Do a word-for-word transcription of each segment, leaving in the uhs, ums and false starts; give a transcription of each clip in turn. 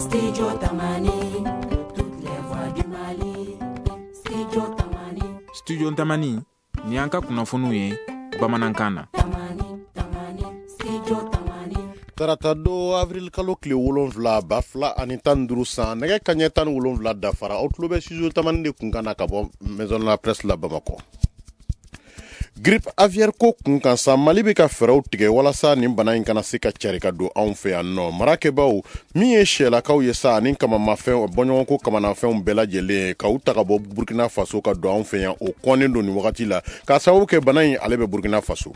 Studio Tamani, toutes les voix du Mali. Studio Tamani. Studio Tamani, ni an ka kunnafoniw ye bamanankan na. Tamani, Tamani, Studio Tamani. Tarata don, avril kalo tile wolonfila, ba fila ani tan duuru san, nɛgɛ kaɲɛ tan ni wolonfila dafara. Aw tulo bɛ Studio Tamani de kunkan na ka bɔ Maison de la Presse la Bamakɔ. Grippe aviaire ko kun kan sa, Mali bɛ ka fɛɛrɛw tigɛ walasa nin bana in kana se ka cari ka don anw fɛ yan nɔ. Marakɛbaw min ye sɛlakaw ye sa ani kamamafɛn bɔɲɔgɔnko kamanafɛnw bɛɛ lajɛlen ka u ta ka bɔ Burkina Faso ka don anw fɛ yan, o kɔnnen don nin wagati la k'a sababu kɛ bana in ale bɛ Burkina Faso.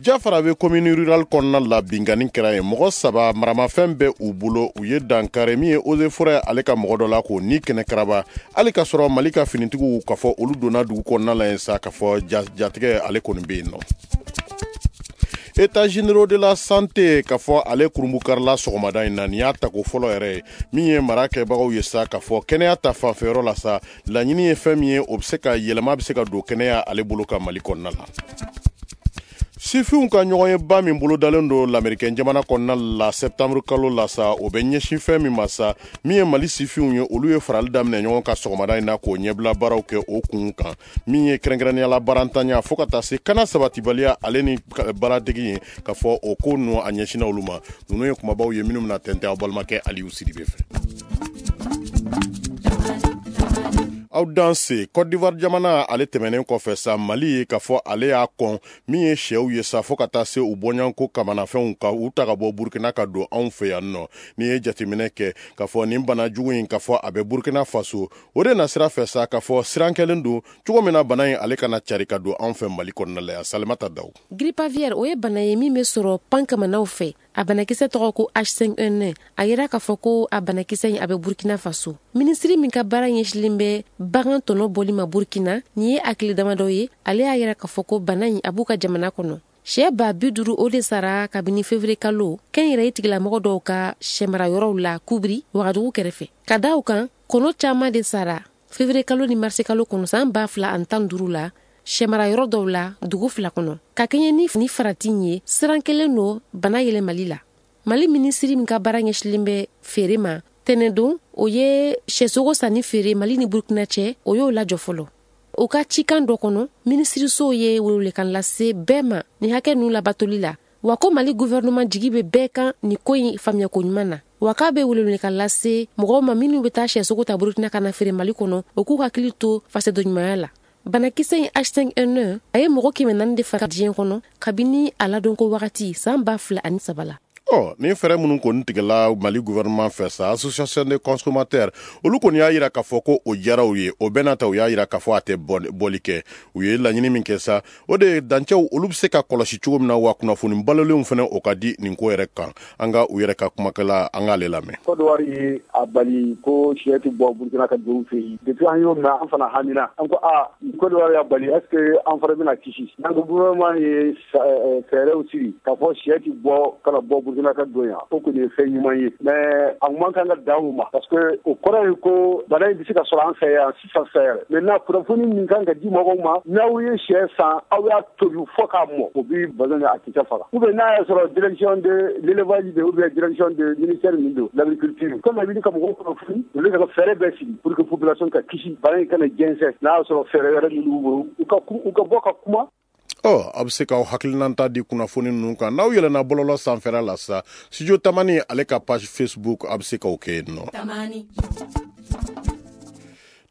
Jafara bɛ commune rurale kɔnɔna la, binkanni kɛra yen, mɔgɔ saba maramafɛn bɛ u bolo, u ye dankari min ye eaux et forêts ale ka mɔgɔ dɔ la k'o ni kɛnɛ karaba, hali ka sɔrɔ Mali ka finitigiw k'a fɔ olu donna dugu kɔnɔna la yen sa, k'a fɔ jatigɛ ale kɔni bɛ yen nɔ. États généraux de la santé k'a fɔ ale kurunbukarila sɔgɔmada in na, nin y'a tako fɔlɔ yɛrɛ ye. Min ye mara kɛbagaw ye sa, k'a fɔ kɛnɛya ta fanfɛyɔrɔ la sa, laɲini ye fɛn min ye, o bɛ se ka yɛlɛma bɛ se ka don kɛnɛya ale bolo ka Mali kɔnɔna la. Sifinw ka ɲɔgɔnyeba min bolodalen don Lamerikɛn jamana kɔnɔna la septembre kalo la sa, o bɛ ɲɛsin fɛn min ma sa, min ye Mali sifinw ye, olu ye farali daminɛ ɲɔgɔn kan sɔgɔmada in na k'o ɲɛbila baaraw kɛ o kun kan, min ye kɛrɛnkɛrɛnnenya la baarantanya fo ka taa se kana sabatibaliya ale ni baaradegi ye, k'a fɔ o ko ninnu a ɲɛsinna olu ma. Ninnu ye kumabaw ye minnu bɛna tɛntɛn aw balimakɛ Aliyu Sidibe fɛ. Aw danse. Côte d'Ivoire jamana ale tɛmɛnen kɔfɛ sa, Mali ye k'a fɔ ale y'a kɔn min ye sɛw ye sa fo ka taa se u bɔɲɔgɔnko kamanafɛnw ka u ta ka bɔ Burkina ka don anw fɛ yan nɔ. N'i ye jateminɛ kɛ k'a fɔ nin bana jugu in k'a fɔ a bɛ Burkina Faso, o de na sira fɛ sa k'a fɔ siran kɛlen don cogo min na bana in ale kana cari ka don anw fɛ Mali kɔnɔna la yan. Salimata Daw. Grippe aviaire, o ye bana ye min bɛ sɔrɔ pankamanaw fɛ. A banakisɛ tɔgɔ ko H cinq N un. A yira k'a fɔ ko a banakisɛ in a bɛ Burkina Faso. Minisiri min ka baara ɲɛsilen bɛ bagan tɔnɔ bɔli ma Burkina, nin ye a tile damadɔ ye, ale y'a yira k'a fɔ ko bana in a b'u ka jamana kɔnɔ. Sɛ ba bi duuru o de sara kabini février kalo kɛnyɛrɛye tigilamɔgɔ dɔw ka sɛmarayɔrɔw la Kubiri, Wagadugu kɛrɛfɛ. Ka da o kan, kɔnɔ caman de sara février kalo ni mars kalo kɔnɔ san ba fila ani tan duuru la sɛmarayɔrɔ dɔw la dugu fila kɔnɔ. Ka kɛɲɛ ni ni farati ye, siran kelen don bana yɛlɛmali la. Mali minisiri min ka baara ɲɛsilen bɛ feere ma tɛnɛndon, o ye sɛsogo sanni feere Mali ni Burkina cɛ, o y'o lajɔ fɔlɔ. O ka cikan dɔ kɔnɔ, minisiriso ye welewelekan lase bɛɛ ma ni hakɛ ninnu labatoli la, wa ko Mali gouvernement jigi bɛ bɛɛ kan nin ko in faamuyako ɲuman na, wa k'a bɛ welewelekan lase mɔgɔw ma minnu bɛ taa sɛsogo ta Burkina ka na feere Mali kɔnɔ, o k'u hakili to fasodenɲumanya la. Banakisɛ in H cinq N un a ye mɔgɔ kɛmɛ naani de faga diɲɛ kɔnɔ kabini a ladonko wagati san ba fila ani saba la. Ɔ, nin fɛɛrɛ minnu kɔni tigɛla Mali gouvernement fɛ sa, association des consommateurs olu kɔni y'a yira k'a fɔ ko o diyara u ye. O bɛɛ n'a ta, u y'a yira k'a fɔ a tɛ bɔli kɛ. U ye laɲini min kɛ sa, o de ye dancɛw olu bɛ se ka kɔlɔsi cogo min na, wa kunnafoni balolenw fana o ka di nin ko yɛrɛ kan. An ka u yɛrɛ ka kumakɛla, an k'ale lamɛn. Côte d'Ivoire ye a bali ko sɛ tɛ bɔ Burkina ka don fɛ yen. Depuis an y'o mɛn, an fana hamina, an ko aa, Côte d'Ivoire y'a bali, est ce que an fana bɛna kisi? Donc gouvernement ye fɛɛrɛw sigi k'a fɔ sɛ tɛ bɔ kana bɔ Burkina ka don yan, o kɔni ye fɛn ɲuman ye, mais a man kan ka dan o ma, parce que o kɔrɔ ye ko bana in bɛ se ka sɔrɔ an fɛ yan sisan sisan yɛrɛ. Maintenant, kunnafoni min kan ka di mɔgɔw ma, n'aw ye sɛ san, aw y'a tobi fo k'a mɔ, o bi bana a kisɛ faga. Ou bien n'a y'a sɔrɔ direction de l'élevage de ou bien direction de ministère min don l'agriculture, comme a wuli ka mɔgɔw kunnafoni, olu ka fɛɛrɛ bɛɛ sigi pour que population ka kisi, bana in kana jɛnsɛn. N'a y'a sɔrɔ fɛɛrɛ wɛrɛ minnu b'u bolo, u ka u ka bɔ ka kuma. Ɔ, a bɛ se k'aw hakilinata di kunnafoni ninnu kan n'aw yɛlɛnna bɔlɔlɔ sanfɛla la sa, Studio Tamani ale ka page Facebook, a bɛ se k'o kɛ yen nɔ.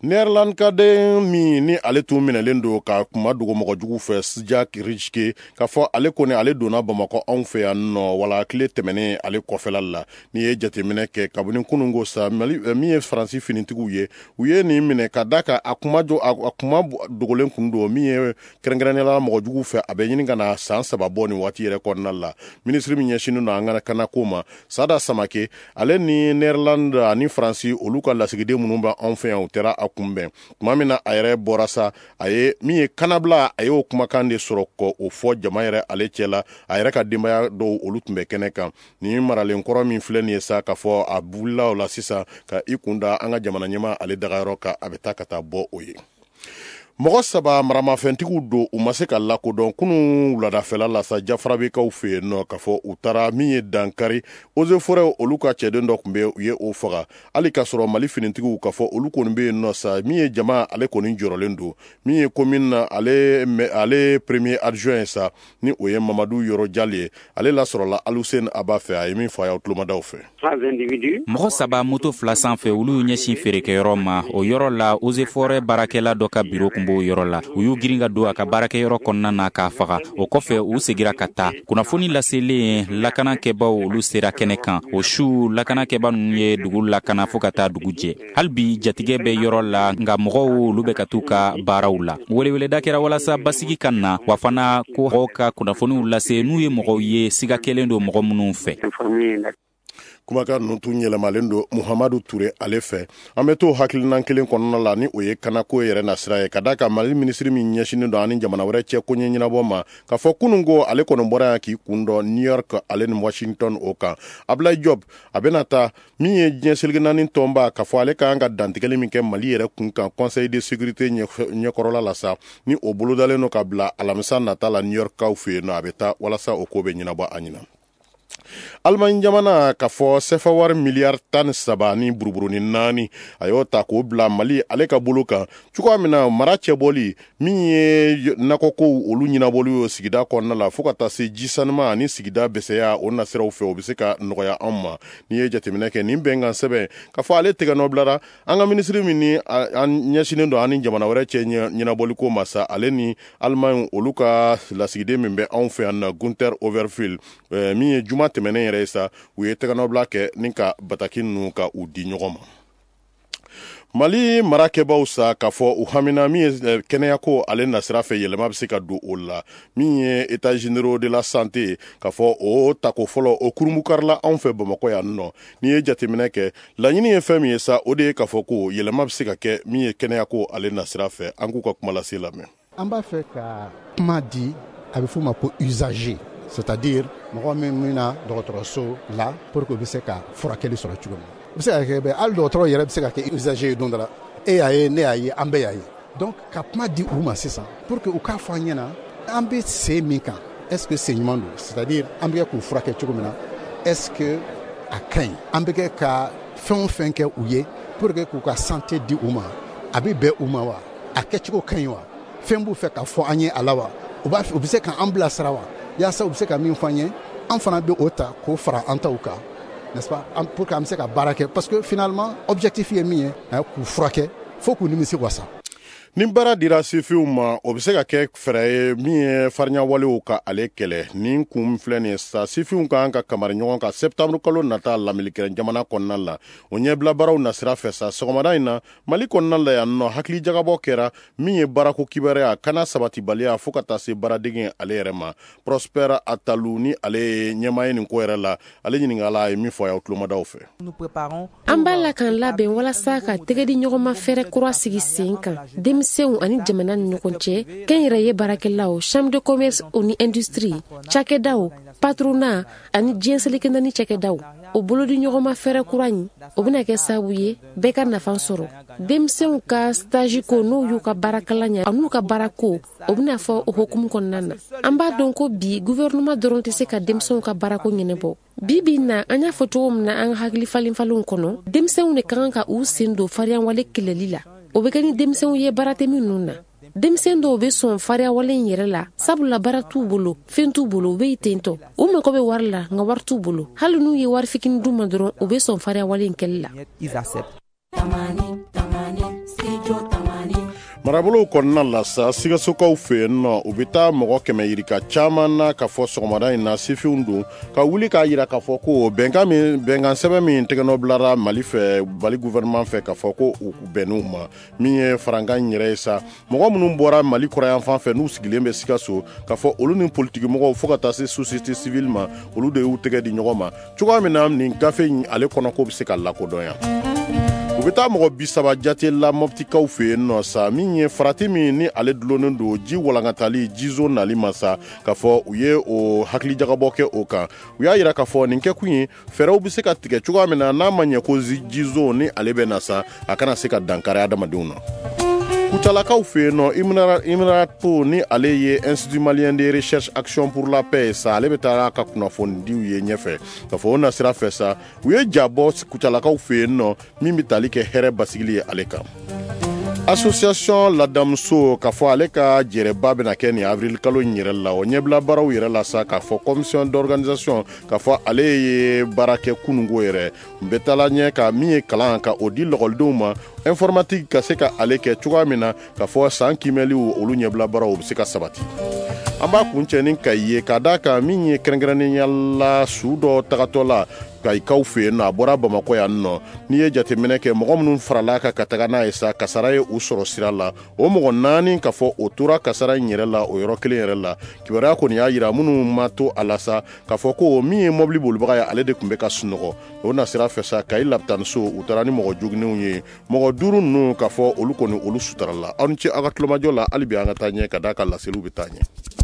Nɛrɛlandikaden min ni ale tun minɛlen don ka kuma dogo mɔgɔjugu fɛ, Jack Reschke, k'a fɔ ale kɔni ale donna Bamakɔ anw fɛ yan nɔ wala tile tɛmɛnen ale kɔfɛla la. N'i ye jateminɛ kɛ kabini kununko sa, min ye Faransi finitigiw ye, u ye nin minɛ ka da kan a kuma jɔ a kuma dogolen kun don min ye kɛrɛnkɛrɛnnenya la mɔgɔjugu fɛ, a bɛ ɲini ka na san saba bɔ nin waati yɛrɛ kɔnɔna la. Minisiri min ɲɛsinnen don an ka kanako ma, Sada Samake, ale ni Nɛrɛland ani Faransi olu ka lasigiden minnu bɛ anw fɛ yan, u taara a kunbɛn tuma min na a yɛrɛ bɔra sa, a ye min ye kanabila, a y'o kumakan de sɔrɔ kɔ o fɔ jama yɛrɛ ale cɛ la. A yɛrɛ ka denbaya dɔw olu tun bɛ kɛnɛ kan. Nin maralen kɔrɔ min filɛ nin ye sa, k'a fɔ a wulila o la sisan ka i kun da an ka jamana ɲɛmaa ale dagayɔrɔ kan, a bɛ taa ka taa bɔ o ye. Mɔgɔ saba maramafɛntigiw don, u ma se ka lakodɔn kunun wuladafɛla la sa Jafarabekaw fɛ yen nɔ, k'a fɔ u taara min ye dankari eaux et forêts olu ka cɛden dɔ tun bɛ, u ye o faga. Hali k'a sɔrɔ Mali finitigiw k'a fɔ olu kɔni bɛ yen nɔ sa, min ye jama ale kɔni jɔrɔlen don. Min ye commune na ale ale premier adjoint ye sa, ni o ye Mamadu Yɔrɔ Jali ye, ale lasɔrɔla Aluseni Aba fɛ. A ye min fɔ a y'aw tulomadaw fɛ. Mɔgɔ saba moto fila sanfɛ, olu y'u ɲɛsin feerekɛyɔrɔ ma. O yɔrɔ la, eaux et forêts baarakɛla dɔ ka biro kun b'o yɔrɔ la. U y'u girin ka don a ka baarakɛyɔrɔ kɔnɔna na k'a faga. O kɔfɛ, u segira ka taa. Kunnafoni laselen, lakanakɛbaw olu sera kɛnɛ kan. O su, lakanakɛba ninnu ye dugu lakana fo ka taa dugu jɛ. Hali bi jatigɛ bɛ yɔrɔ la, nka mɔgɔw olu bɛ ka t'u ka baaraw la. Weleweleda kɛra walasa basigi ka na, wa fana ko mɔgɔw ka kunnafoniw lase n'u ye mɔgɔw ye siga kɛlen don mɔgɔ minnu fɛ. Kumakan ninnu tun yɛlɛmalen don Muhamadu Ture ale fɛ. An bɛ to hakilinan kelen kɔnɔna la, ni o ye kanako yɛrɛ nasira ye, ka d'a kan Mali minisiri min ɲɛsinnen don ani jamana wɛrɛ cɛ koɲɛ ɲɛnabɔ ma, k'a fɔ kunun ko ale kɔni bɔra yan k'i kun dɔ New York ale ni Washington o kan. Ablaye Diop a bɛna taa min ye diɲɛ seleke naani tɔnba, k'a fɔ ale ka kan ka dantigɛli min kɛ Mali yɛrɛ kun kan Conseil de sécurité ɲɛkɔrɔla la sa, ni o bolodalen don ka bila alamisa nata la New York kaw fɛ yen nɔ, a bɛ taa walasa o ko bɛ ɲɛnabɔ a ɲɛna. Alimaɲi jamana k'a fɔ sefa wari miliyari tan ni saba ni buruburuni naani, a y'o ta k'o bila Mali ale ka bolo kan, cogoya min na mara cɛbɔli min ye nakɔkow olu ɲɛnabɔli ye sigida kɔnɔna la, fo ka taa se ji sanuma ani sigida bɛsɛya o nasiraw fɛ, o bɛ se ka nɔgɔya anw ma. N'i ye jateminɛ kɛ nin bɛnkan sɛbɛn, k'a fɔ ale tɛgɛ nɔ bilara an ka minisiri min ni an ɲɛsinnen don ani jamana wɛrɛ cɛ ɲɛnabɔliko ma sa, ale ni Alimaɲi olu ka lasigiden min bɛ anw fɛ yan na, Gunther Overfield, min ye juma tɛmɛnen yɛrɛ ye sa, u ye tɛgɛnɔbila kɛ ni ka bataki ninnu ka u di ɲɔgɔn ma. Mali marakɛbaw sa, k'a fɔ u hamina min ye kɛnɛyako ale nasira fɛ, yɛlɛma bɛ se ka don o la. Min ye état généraux de la santé, k'a fɔ o tako fɔlɔ o kurunbukarila anw fɛ Bamakɔ yan nɔ. N'i ye jateminɛ kɛ, laɲini ye fɛn min ye sa, o de ye k'a fɔ ko yɛlɛma bɛ se ka kɛ min ye kɛnɛyako ale nasira fɛ. An k'u ka kuma lase lamɛn. An b'a fɛ ka kuma di, a bɛ f'o ma ko usager, c'est-à-dire mɔgɔ min bɛna dɔgɔtɔrɔso la pour que u bɛ se ka furakɛli sɔrɔ cogo min. U bɛ se ka kɛ bɛ hali dɔgɔtɔrɔ yɛrɛ bɛ se ka kɛ usager ye don dɔ la. E y'a ye, ne y'a ye, an bɛɛ y'a ye. Donc ka kuma di u ma sisan pour que u k'a fɔ an ɲɛna an bɛ sen min kan, est-ce que sen ɲuman don, c'est-à-dire an bɛ kɛ k'u furakɛ cogo min na, est-ce que a ka ɲi, an bɛ kɛ ka fɛn o fɛn kɛ u ye pour que k'u ka santé di u ma, a bɛ bɛn u ma wa, a kɛcogo ka ɲi wa, fɛn b'u fɛ ka fɔ an ye a la wa, u b'a u bɛ se k'an bilasira wa, yaasa u bɛ se ka min fɔ an ye, an fana bɛ o ta k'o fara an taw kan, n'est-ce pas, pour que an bɛ se ka baara kɛ, parce que finalement objectif ye min ye, k'u furakɛ fo k'u nimisi wasa. Ni baara dira sifinw ma, o bɛ se ka kɛ fɛɛrɛ ye min ye farinyawalew ka ale kɛlɛ. Nin kun filɛ nin ye sa, sifinw ka kan ka kamari ɲɔgɔn kan septembre kalo nata Lamelikɛrɛn jamana kɔnɔna la, o ɲɛbila baaraw nasira fɛ sa. Sɔgɔmada in na Mali kɔnɔna la yan nɔ, hakili jagabɔ kɛra min ye baarako kibaruya kana sabatibaliya fo ka taa se baaradege ale yɛrɛ ma. Prosper Atalu ni ale ye ɲɛmaa ye nin ko yɛrɛ la, ale ɲininkala, a ye min fɔ a y'aw tulomadaw fɛ. An b'a la k'an labɛn walasa ka tɛgɛdi ɲɔgɔnma fɛɛrɛ kura sigi sen kan denmisɛnw ani jamana ni ɲɔgɔn cɛ, kɛnyɛrɛye baarakɛlaw, chambre de commerce ni industrie, cakɛdaw, patronat ani diɲɛ seleke naani cakɛdaw. O bolodi ɲɔgɔnma fɛɛrɛ kura in, o bɛna kɛ sababu ye bɛɛ ka nafa sɔrɔ. Denmisɛnw ka stage ko, n'o y'u ka baarakalan ɲɛ an'u ka baarako, o bɛna fɔ o hokumu kɔnɔna na. An b'a dɔn ko bi gouvernement dɔrɔn tɛ se ka denmisɛnw ka baarako ɲɛnabɔ. Bi bi na, an y'a fɔ cogo min na an ka hakili falen falenw kɔnɔ, denmisɛnw de ka kan ka u sen don fariyawale kɛlɛli la. O bɛ kɛ ni denmisɛnw ye baara tɛ minnu na. Denmisɛn dɔw bɛ sɔn fariyawale in yɛrɛ la, sabula baara t'u bolo, fɛn t'u bolo, u bɛ yen tentɔ. U mago bɛ wari la, nka wari t'u bolo. Hali n'u ye wari fitinin d'u ma dɔrɔn, u bɛ sɔn fariyawale in kɛli la. Marabolow kɔnɔna la sa, Sikasokaw fɛ yen nɔ, u bɛ taa mɔgɔ kɛmɛ yirika caman na, k'a fɔ sɔgɔmada in na sifinw don ka wuli k'a yira k'a fɔ ko bɛnkan min, bɛnkan sɛbɛn min tɛgɛnɔ bilara Mali fɛ, Mali gouvernement fɛ, k'a fɔ ko u bɛnn'u ma. Min ye farankan in yɛrɛ ye sa, mɔgɔ minnu bɔra Mali kɔrɔyanfan fɛ n'u sigilen bɛ Sikaso, k'a fɔ olu ni politiki mɔgɔw fo ka taa se société civile ma, olu de y'u tɛgɛ di ɲɔgɔn ma cogoya min na nin gafe in ale kɔnɔko bɛ se ka lakodɔnya. U bɛ taa mɔgɔ bi saba jate la Mɔptikaw fɛ yen nɔ sa, min ye farati min ni ale dulonnen don ji walankatali jizo nali ma sa, k'a fɔ u ye o hakilijagabɔ kɛ o kan. U y'a yira k'a fɔ nin kɛkun ye fɛɛrɛw bɛ se ka tigɛ cogoya min na, n'a ma ɲɛ ko jizo ni ale bɛ na sa, a kana se ka dankari adamadenw na. Kucalakaw fɛ yen nɔ, IMRAP, ni ale ye Institut malien de recherche action pour la paix sa, ale bɛ taa ka kunnafonidiw ye ɲɛfɛ k'a fɔ o nasira fɛ sa, u ye ja bɔ Kucalakaw fɛ yen nɔ min bɛ tali kɛ hɛrɛ basigili ye ale kan. Association Ladamuso, k'a fɔ ale ka jɛrɛba bɛna kɛ nin avril kalo in yɛrɛ la, o ɲɛbila baaraw yɛrɛ la sa, k'a fɔ commission d'organisation, k'a fɔ ale ye baara kɛ kununko yɛrɛ n bɛ taala ɲɛ ka min ye kalan ka o di lɔkɔlidenw ma informatique, ka se ka ale kɛ cogoya min na, k'a fɔ san kiimɛliw olu ɲɛbila baaraw o bɛ se ka sabati. An b'a kuncɛ ni Kayi ye, k'a d'a kan min ye kɛrɛnkɛrɛnnenya la su dɔ tagatɔ la Kayikaw fɛ yen nɔ, a bɔra Bamakɔ yan nɔ. N'i ye jateminɛ kɛ, mɔgɔ minnu farala kan ka taga n'a ye sa, kasara ye u sɔrɔ sira la. O mɔgɔ naani, ka fɔ o tora kasara in yɛrɛ la o yɔrɔ kelen yɛrɛ la. Kibaruya kɔni y'a yira minnu ma to a la sa, k'a fɔ ko min ye mɔbili bolibaga ye, ale de tun bɛ ka sunɔgɔ. O nasira fɛ sa, Kayi lapitaniso, u taara ni mɔgɔ joginnenw ye. Mɔgɔ duuru ninnu, k'a fɔ olu kɔni olu sutarala. Aw ni ce aw ka tulomajɔ la. Hali bi an ka taa ɲɛ, ka d'a kan laseliw bɛ taa ɲɛ.